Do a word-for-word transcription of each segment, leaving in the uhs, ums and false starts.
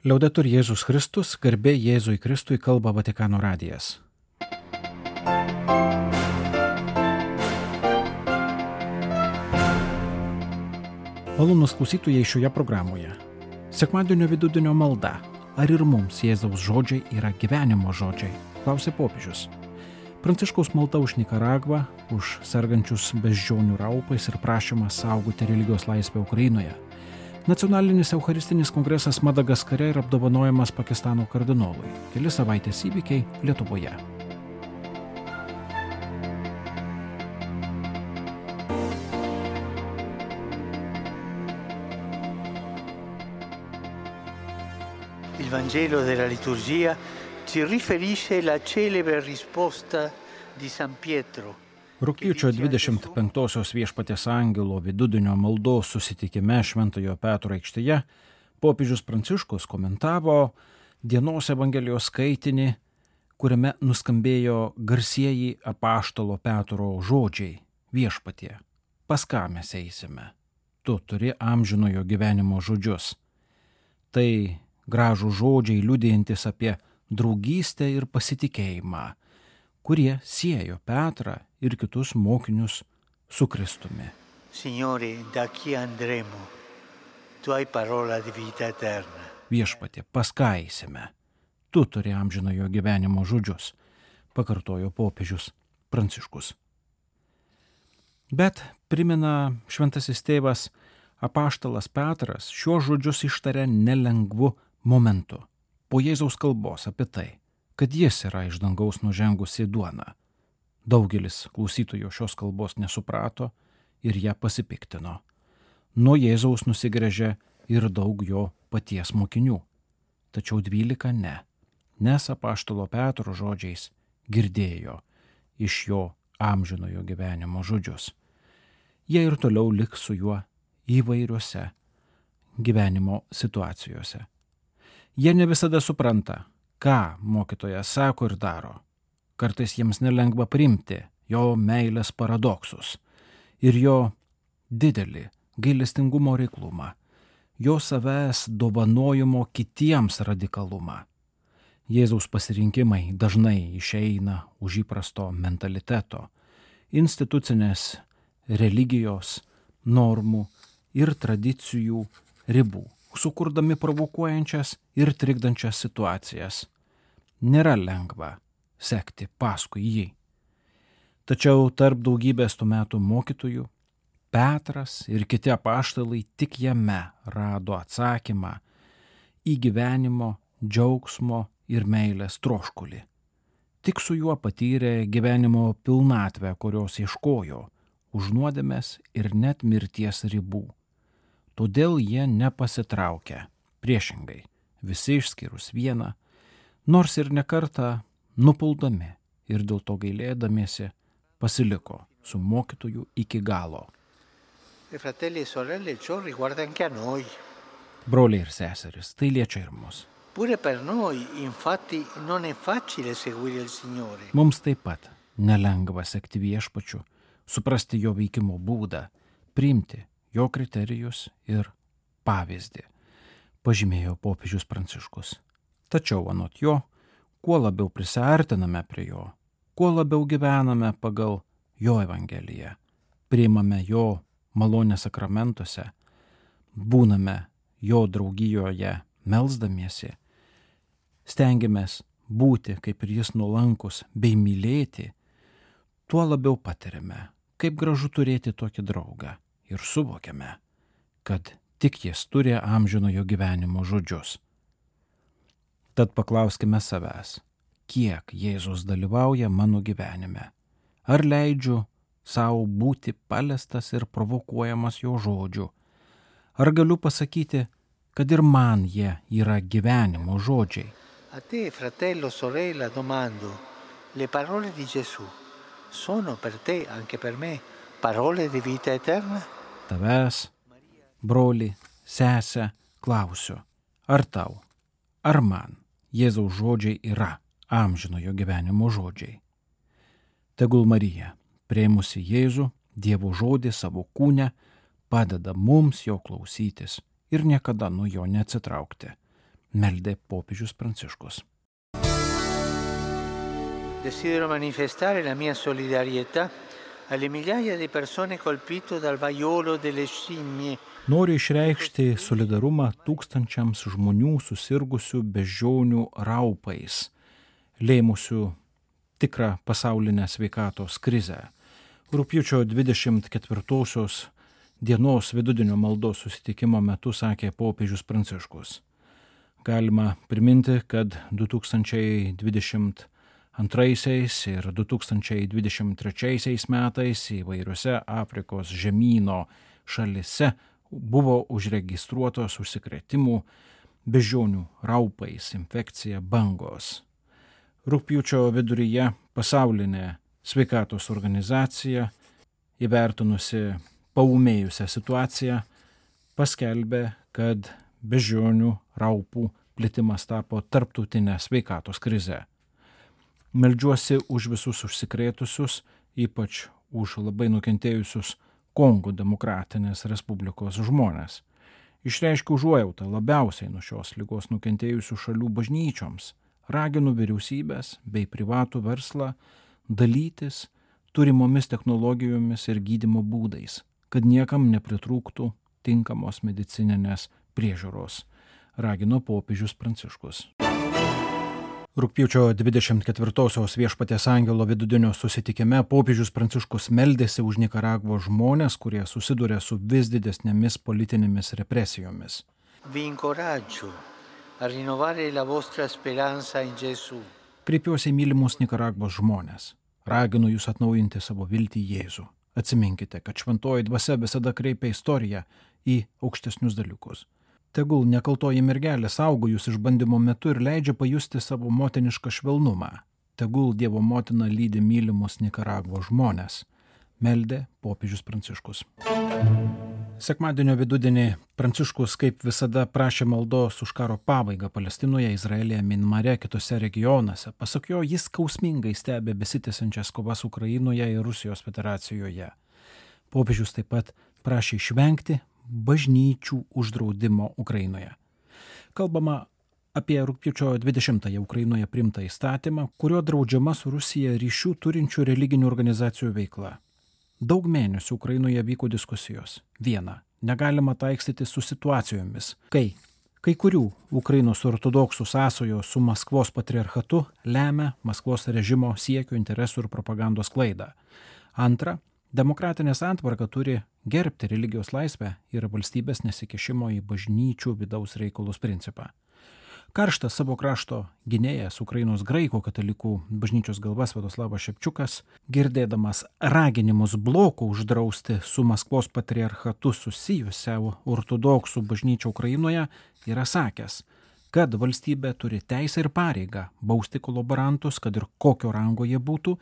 Liaudetur Jėzus Kristus, garbė Jėzui Kristui, kalba Vatikano radijas. Malonūs klausytojai šioje programoje. Sekmadienio vidudienio malda. Ar ir mums Jėzaus žodžiai yra gyvenimo žodžiai? Klausė popiežius. Pranciškaus malda už Nikaragvą, už sergančius beždžionių raupais ir prašymas saugoti religijos laisvę Ukrainoje. Nacionalinis Eucharistinis kongresas Madagaskare ir apdovanojimas Pakistano kardinolui. Keli savaitės įvykiai Lietuvoje. Il Vangelo della liturgia ci riferisce la celebre risposta di San Pietro. Rugpjūčio dvidešimt penktosios viešpaties angelo vidudienio maldos susitikime Šventojo Petro aikštėje popiežius Pranciškus komentavo dienos Evangelijos skaitinį, kuriame nuskambėjo garsieji apaštalo Petro žodžiai: Viešpatie, pas ką mes eisime? Tu turi amžinojo gyvenimo žodžius. Tai gražų žodžiai liudijantis apie draugystę ir pasitikėjimą, kurie siejo Petrą ir kitus mokinius su Kristumi. Signore, da chi andremo? Tu hai parola di vita eterna. Viešpatie, pas ką eisime? Tu turi amžinojo gyvenimo žodžius, pakartojo popiežius Pranciškus. Bet, primena šventasis tėvas, apaštalas Petras šiuos žodžius ištarė nelengvu momentu, po Jėzaus kalbos apie tai, kad jis yra iš dangaus nužengusi duona. Daugelis klausytojų šios kalbos nesuprato ir ją pasipiktino. Nuo Jėzaus nusigręžė ir daug jo paties mokinių. Tačiau dvylika ne, nes apaštalo Petro žodžiais girdėjo iš jo amžinojo gyvenimo žodžius. Jie ir toliau liks su juo įvairiuose gyvenimo situacijose. Jie ne visada supranta, ką mokytojas sako ir daro. Kartais jiems nelengva priimti jo meilės paradoksus ir jo didelį gailestingumo reiklumą, jo savęs dovanojimo kitiems radikalumą. Jėzaus pasirinkimai dažnai išeina už įprasto mentaliteto, institucinės religijos, normų ir tradicijų ribų, sukurdami provokuojančias ir trikdančias situacijas. Nėra lengva sekti paskui jį. Tačiau tarp daugybės tų metų mokytojų Petras ir kiti apaštalai tik jame rado atsakymą į gyvenimo, džiaugsmo ir meilės troškulį. Tik su juo patyrė gyvenimo pilnatvę, kurios ieškojo už nuodėmės ir net mirties ribų. Todėl jie nepasitraukė, priešingai, visi išskyrus vieną, nors ir nekartą nupuldami ir dėl to gailėdamiesi pasiliko su mokytoju iki galo. E fratelli e sorelle, ciò riguarda anche a noi. Broliai ir seserys, tai liečia ir mus. Pure per noi, infatti, non è facile seguire il Signore. Mums taip pat nelengva sekti viešpačiu, suprasti jo veikimo būdą, priimti jo kriterijus ir pavyzdį, pažymėjo popiežius Pranciškus. Tačiau anot jo, kuo labiau prisiartiname prie jo, kuo labiau gyvename pagal jo evangeliją, priimame jo malonę sakramentuose, būname jo draugijoje melsdamiesi, stengiamės būti kaip ir jis nuolankus bei mylėti, tuo labiau patiriame, kaip gražu turėti tokį draugą. Ir suvokiame, kad tik jis turi amžinojo gyvenimo žodžius. Tad paklauskime savęs, kiek Jėzus dalyvauja mano gyvenime? Ar leidžiu savo būti paliestas ir provokuojamas jo žodžių? Ar galiu pasakyti, kad ir man jie yra gyvenimo žodžiai? A te, fratello, sorella, domando, le parole di Gesù sono per te, anche per me, parole di vita eterna? Tavęs, broli, sesę, klausiu, ar tau, ar man Jėzaus žodžiai yra amžinojo gyvenimo žodžiai. Tegul Marija, priėmusi Jėzų, Dievo žodį savo kūne, padeda mums jo klausytis ir niekada nuo jo neatsitraukti, meldė popiežius Pranciškus. Desidero manifestare la mia solidarietà alle migliaia di persone colpite dal vaiolo delle scimmie. Noriu išreikšti solidarumą tūkstančiams žmonių susirgusių beždžionių raupais, lėmusių tikrą pasaulinę sveikatos krizę. Rugpjūčio dvidešimt ketvirtosios dienos vidudienio maldos susitikimo metu sakė popiežius Pranciškus. Galima priminti, kad du tūkstančiai dvidešimt antraisiais ir du tūkstančiai dvidešimt trečiaisiais metais įvairiose Afrikos žemyno šalise buvo užregistruotos užsikrėtimų beždžionių raupais infekcija bangos. Rugpjūčio viduryje pasaulinė sveikatos organizacija, įvertinusi paūmėjusią situaciją, paskelbė, kad beždžionių raupų plitimas tapo tarptautinę sveikatos krizę. Meldžiuosi už visus užsikrėtusius, ypač už labai nukentėjusius Kongo Demokratinės Respublikos žmonės. Išreiškiu užuojautą labiausiai nuo šios ligos nukentėjusių šalių bažnyčioms. Raginu vyriausybės bei privatų verslą dalytis turimomis technologijomis ir gydymo būdais, kad niekam nepritrūktų tinkamos medicininės priežiūros, ragino popiežius Pranciškus. Rugpjūčio dvidešimt ketvirtosios Viešpaties angelo vidudienio susitikime popiežius Pranciškus meldėsi už Nikaragvos žmones, kurie susiduria su vis didesnėmis politinėmis represijomis. Vi incoraggio a rinnovare la vostra speranza in Gesù. Kreipiuosi į mylimus Nikaragvos žmonės. Raginu jūs atnaujinti savo viltį į Jėzų. Atsiminkite, kad šventoji dvasia visada kreipia istoriją į aukštesnius dalykus. Tegul nekaltoji mergelė saugo jūs išbandymo metu ir leidžia pajusti savo motinišką švelnumą. Tegul Dievo motina lydi mylimus Nikaragvos žmonės, meldė popiežius Pranciškus. Sekmadienio vidudienį Pranciškus kaip visada prašė maldos už karo pabaigą Palestinoje, Izraelyje, Mianmare, kitose regionuose. Pasak jo, jis skausmingai stebė besitęsiančias kovas Ukrainoje ir Rusijos federacijoje. Popiežius taip pat prašė išvengti bažnyčių uždraudimo Ukrainoje. Kalbama apie rugpjūčio dvidešimtąją Ukrainoje priimtą įstatymą, kurio draudžiama su Rusija ryšių turinčių religinių organizacijų veikla. Daug mėnesių Ukrainoje vyko diskusijos. Viena, negalima taikstyti su situacijomis, kai kai kurių Ukrainos ortodoksų sąsajos su Maskvos patriarchatu lemia Maskvos režimo siekių, interesų ir propagandos klaidą. Antra, demokratinė santvarka turi gerbti religijos laisvę ir valstybės nesikišimo į bažnyčių vidaus reikalus principą. Karštas savo krašto gynėjas Ukrainos graikų katalikų bažnyčios galva Sviatoslavas Ševčiukas, girdėdamas raginimus blokų uždrausti su Maskvos patriarchatu susijusią ortodoksų bažnyčią Ukrainoje, yra sakęs, kad valstybė turi teisę ir pareigą bausti kolaborantus, kad ir kokio rango jie būtų,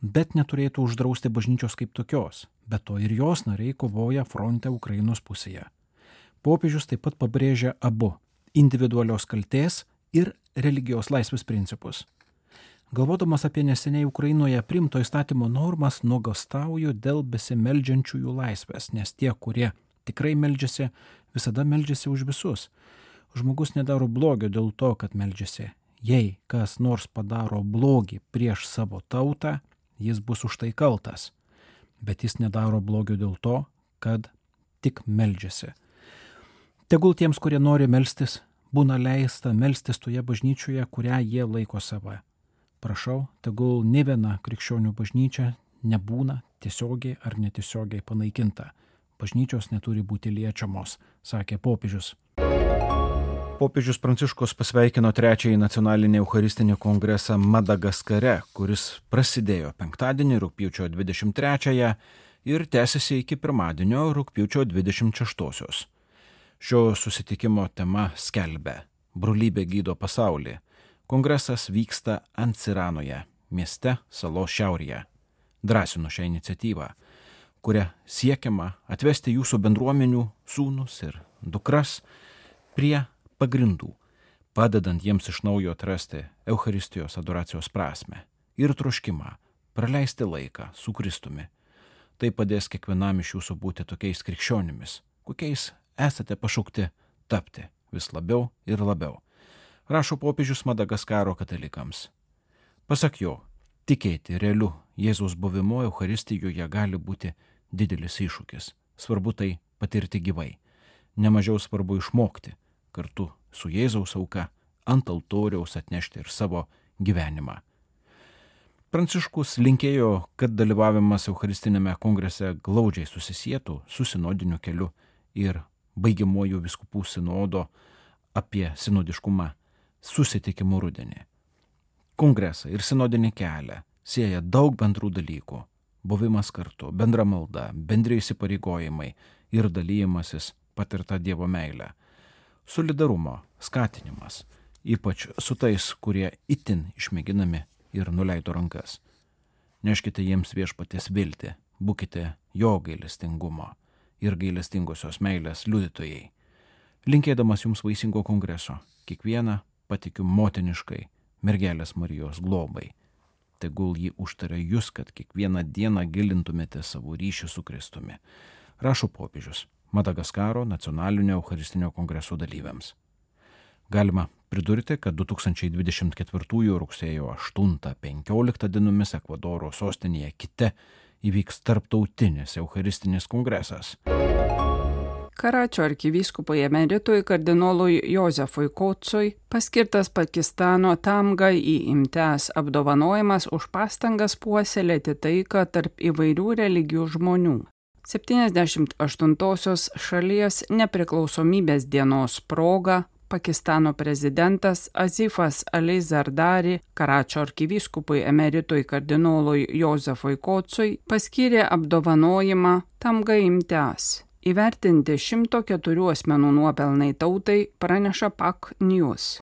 bet neturėtų uždrausti bažnyčios kaip tokios, bet to ir jos nariai kovoja fronte Ukrainos pusėje. Popiežius taip pat pabrėžia abu individualios kaltės ir religijos laisvės principus. Galvodamas apie neseniai Ukrainoje priimto įstatymo normas, nuogąstauju dėl besimeldžiančiųjų laisvės, nes tie, kurie tikrai meldžiasi, visada meldžiasi už visus. Žmogus nedaro blogio dėl to, kad meldžiasi. Jei kas nors padaro blogį prieš savo tautą, jis bus už tai kaltas. Bet jis nedaro blogio dėl to, kad tik meldžiasi. Tegul tiems, kurie nori melstis, būna leista melstis toje bažnyčioje, kurią jie laiko sava. Prašau, tegul ne viena krikščionių bažnyčia nebūna tiesiogiai ar netiesiogiai panaikinta. Bažnyčios neturi būti liečiamos, sakė popiežius. Popiežius Pranciškus pasveikino trečiąjį nacionalinį eucharistinį kongresą Madagaskare, kuris prasidėjo penktadienį rugpjūčio dvidešimt trečiąją ir tęsiasi iki pirmadienio rugpjūčio dvidešimt šeštosios. Šio susitikimo tema skelbia brolybė gydo pasaulį. Kongresas vyksta Ansiranoje, mieste salos šiaurėje. Drąsinu šią iniciatyvą, kuria siekiama atvesti jūsų bendruomenių sūnus ir dukras prie pagrindų, padedant jiems iš naujo atrasti Eucharistijos adoracijos prasmę ir troškimą praleisti laiką su Kristumi. Tai padės kiekvienam iš jūsų būti tokiais krikščionimis, kokiais esate pašaukti tapti vis labiau ir labiau. rašo popiežius Madagaskaro katalikams. Pasak jo, tikėti realiu Jėzaus buvimu Eucharistijoje gali būti didelis iššūkis. Svarbu tai patirti gyvai. Nemažiau svarbu išmokti kartu su Jėzaus auka ant altoriaus atnešti ir savo gyvenimą. Pranciškus linkėjo, kad dalyvavimas Eucharistinėme kongrese glaudžiai susisietų su sinodiniu keliu ir baigiamuoju vyskupų sinodo apie sinodiškumą susitikimu rudenį. Kongresą ir sinodinį kelią sieja daug bendrų dalykų – buvimas kartu, bendra malda, bendri įsipareigojimai ir dalyjimasis patirta Dievo meilė, solidarumo skatinimas, ypač su tais, kurie itin išmėginami ir nuleido rankas. Neškite jiems viešpaties viltį, būkite jo gailestingumo ir gailestingosios meilės liudytojai. Linkėdamas jums vaisingo kongreso, kiekvieną patikiu motiniškai mergelės Marijos globai. Tegul ji užtaria jūs, kad kiekvieną dieną gilintumėte savo ryšį su Kristumi. Rašo popiežius Madagaskaro nacionalinio Eucharistinio kongreso dalyviams. Galima pridurti, kad du tūkstančiai dvidešimt ketvirtųjų rugsėjo aštuntą penkioliktą dienomis Ekvadoro sostinėje Kite įvyks tarptautinis Eucharistinis kongresas. Karačio arkivyskupui emeritui kardinolui Jozefui Kocui paskirtas Pakistano Tamga į Imtiaz apdovanojimas už pastangas puoselėti taiką tarp įvairių religijų žmonių. septyniasdešimt aštuntosios šalies nepriklausomybės dienos proga Pakistano prezidentas Azifas Ali Zardari Karačio arkivyskupui emeritui kardinolui Jozefui Kocui paskyrė apdovanojimą Tamga Imtiaz. Įvertinti šimto keturių asmenų nuopelnai tautai praneša Pak News.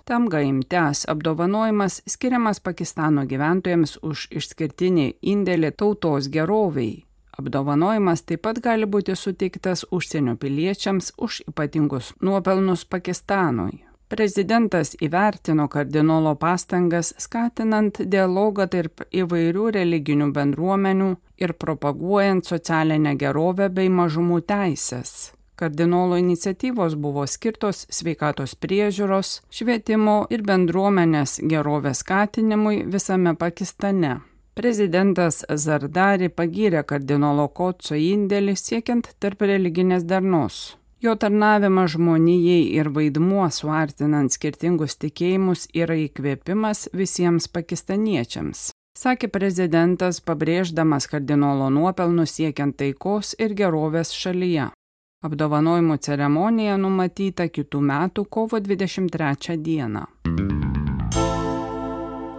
Tamga Imtiaz apdovanojimas skiriamas Pakistano gyventojams už išskirtinį indėlį tautos geroviai. Apdovanojimas taip pat gali būti suteiktas užsienio piliečiams už ypatingus nuopelnus Pakistanui. Prezidentas įvertino kardinolo pastangas skatinant dialogą tarp įvairių religinių bendruomenių ir propaguojant socialinę gerovę bei mažumų teises. Kardinolo iniciatyvos buvo skirtos sveikatos priežiūros, švietimo ir bendruomenės gerovės skatinimui visame Pakistane. Prezidentas Zardari pagyrė kardinolo Koco indėlį siekiant tarp religinės darnos. Jo tarnavimas žmonijai ir vaidmuo suartinant skirtingus tikėjimus yra įkvėpimas visiems pakistaniečiams, sakė prezidentas, pabrėždamas kardinolo nuopelnus siekiant taikos ir gerovės šalyje. Apdovanojimų ceremonija numatyta kitų metų kovo dvidešimt trečią dieną.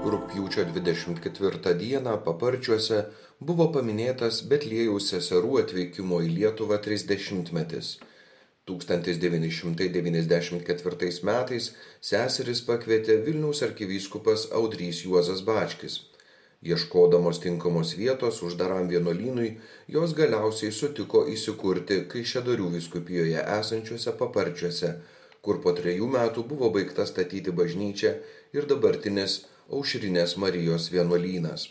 Rugpjūčio dvidešimt ketvirtą dieną Paparčiuose buvo paminėtas Betliejaus seserų atvykimo į Lietuvą trisdešimtmetis. tūkstantis devyni šimtai devyniasdešimt ketvirtais metais seseris pakvietė Vilniaus arkivyskupas Audrys Juozas Bačkis. Ieškodamos tinkamos vietos uždaram vienuolynui, jos galiausiai sutiko įsikurti Kaišiadorių vyskupijoje esančiuose Paparčiuose, kur po trejų metų buvo baigta statyti bažnyčia ir dabartinis Aušrinės Marijos vienuolynas.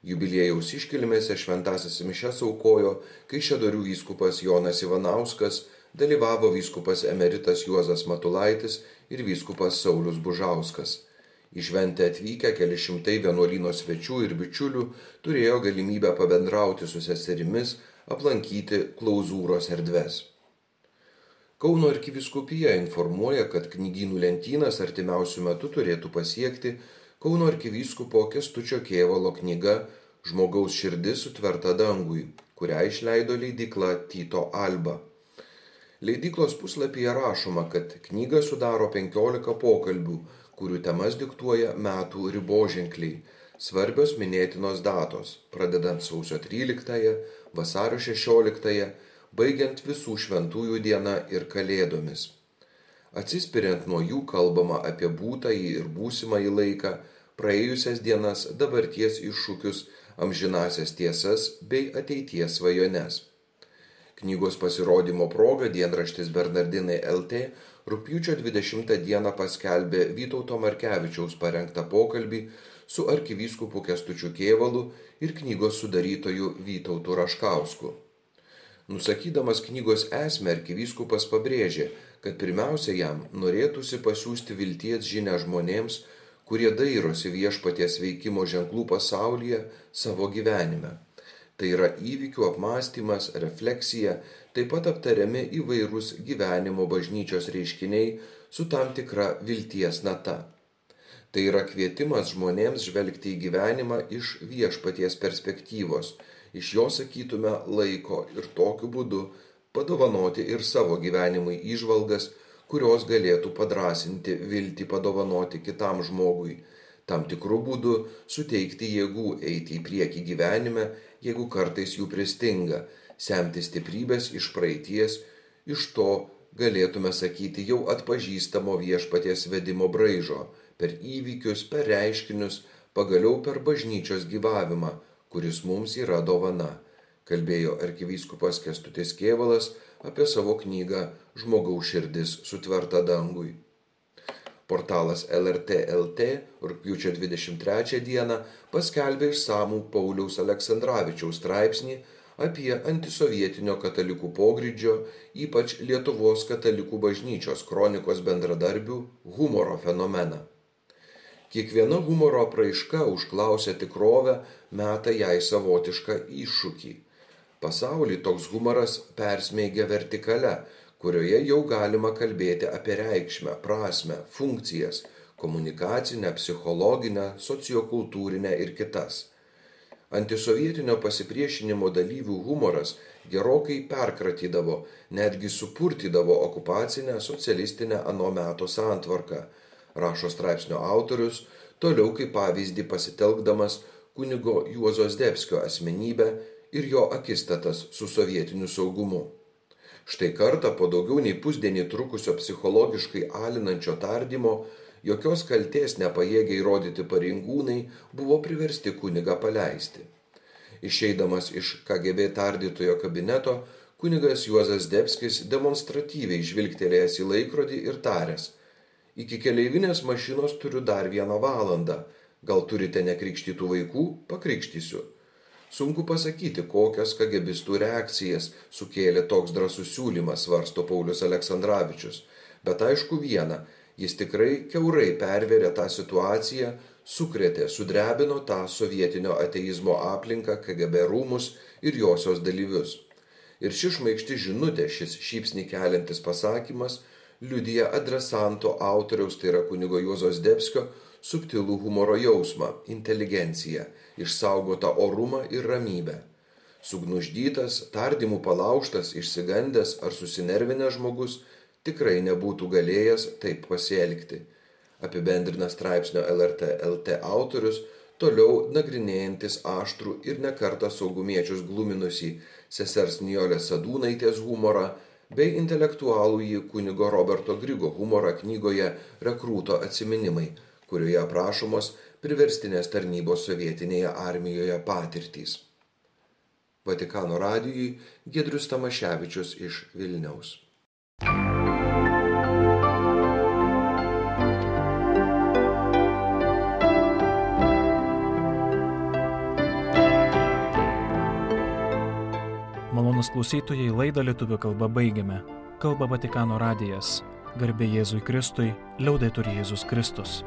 Jubiliejaus iškilmėse šventąsias mišias aukojo Kaišiadorių vyskupas Jonas Ivanauskas, dalyvavo vyskupas emeritas Juozas Matulaitis ir vyskupas Saulius Bužauskas. Į šventę atvykę keli šimtai vienuolyno svečių ir bičiulių turėjo galimybę pabendrauti su seserimis, aplankyti klauzūros erdves. Kauno arkivyskupija informuoja, kad knygynų lentynas artimiausių metų turėtų pasiekti Kauno arkivyskupo Kęstučio Kėvalo knyga Žmogaus širdis sutverta dangui, kurią išleido leidykla Tyto Alba. Leidyklos puslapyje rašoma, kad knygą sudaro penkiolika pokalbių, kurių temas diktuoja metų riboženkliai, svarbios minėtinos datos, pradedant sausio tryliktąją, vasario šešioliktąją, baigiant visų šventųjų diena ir kalėdomis. Atsispiriant nuo jų kalbama apie būtąjį ir būsimąjį laiką, praėjusias dienas, dabarties iššūkius, amžinasias tiesas bei ateities svajones. Knygos pasirodymo proga dienraštis Bernardinai L T rugpjūčio dvidešimtą dieną paskelbė Vytauto Markevičiaus parengtą pokalbį su arkivyskupu Kęstučiu Kėvalu ir knygos sudarytoju Vytautu Raškausku. Nusakydamas knygos esmę, arkivyskupas pabrėžė, kad pirmiausia jam norėtųsi pasiųsti vilties žinią žmonėms, kurie dairosi viešpaties veikimo ženklų pasaulyje savo gyvenime. Tai yra įvykių apmąstymas, refleksija, taip pat aptariami įvairūs gyvenimo bažnyčios reiškiniai su tam tikra vilties nata. Tai yra kvietimas žmonėms žvelgti į gyvenimą iš viešpaties perspektyvos, iš jo, sakytume, laiko ir tokiu būdu padovanoti ir savo gyvenimui įžvalgas, kurios galėtų padrasinti viltį padovanoti kitam žmogui, tam tikrų būdų suteikti jėgų eiti į priekį gyvenime, jeigu kartais jų pristinga, semti stiprybės iš praeities, iš to galėtume sakyti jau atpažįstamo viešpaties vedimo braižo, per įvykius, per reiškinius, pagaliau per bažnyčios gyvavimą, kuris mums yra dovana, kalbėjo arkivyskupas Kęstutis Kėvalas apie savo knygą Žmogaus širdis sutverta dangui. Portalas L R T L T rugpjūčio dvidešimt trečią dieną paskelbė išsamų Pauliaus Aleksandravičiaus straipsnį apie antisovietinio katalikų pogrindžio, ypač Lietuvos katalikų bažnyčios kronikos bendradarbių humoro fenomeną. Kiekviena humoro apraiška užklausia tikrovę, meta jai savotišką iššūkį. Pasaulį toks humoras persmeigia vertikale, kurioje jau galima kalbėti apie reikšmę, prasmę, funkcijas, komunikacinę, psichologinę, sociokultūrinę ir kitas. Antisovietinio pasipriešinimo dalyvių humoras gerokai perkratydavo, netgi supurtydavo okupacinę socialistinę ano meto santvarką, rašo straipsnio autorius, toliau kaip pavyzdį pasitelkdamas kunigo Juozo Zdebskio asmenybę ir jo akistatas su sovietiniu saugumu. Štai kartą po daugiau nei pusdienį trukusio psichologiškai alinančio tardymo, jokios kaltės nepajėgia įrodyti pareigūnai buvo priversti kunigą paleisti. Išeidamas iš K G B tardytojo kabineto, kunigas Juozas Zdebskis demonstratyviai žvilgtelėjęs į laikrodį ir taręs: iki keleivinės mašinos turiu dar vieną valandą, gal turite nekrikštytų vaikų, pakrikštysiu. Sunku pasakyti, kokias kagebistų reakcijas sukėlė toks drąsus siūlymas, svarsto Paulius Aleksandravičius, bet aišku viena, jis tikrai kiaurai pervėrė tą situaciją, sukrėtė, sudrebino tą sovietinio ateizmo aplinką, K G B rūmus ir josios dalyvius. Ir ši šmaikšti žinutė, šis šypsnį keliantis pasakymas, liudija adresanto autoriaus, tai yra kunigo Juozo Zdebskio, subtilų humoro jausmą, inteligenciją, išsaugotą orumą ir ramybę. Sugnuždytas, tardymų palaužtas, išsigandęs ar susinervinęs žmogus tikrai nebūtų galėjęs taip pasielgti. Apibendrina straipsnio L R T L T autorius, toliau nagrinėjantis aštrų ir nekartą saugumiečius gluminusį sesers Nijolės Sadūnaitės humorą bei intelektualųjį kunigo Roberto Grigo humorą knygoje Rekrūto atsiminimai, kurioje aprašomos priverstinės tarnybos sovietinėje armijoje patirtys. Vatikano radijui Giedrius Tamaševičius iš Vilniaus. Malonūs klausytojai, laidą lietuvių kalba baigiame. Kalba Vatikano radijas. Garbė Jėzui Kristui, liaudetur Jėzus Kristus.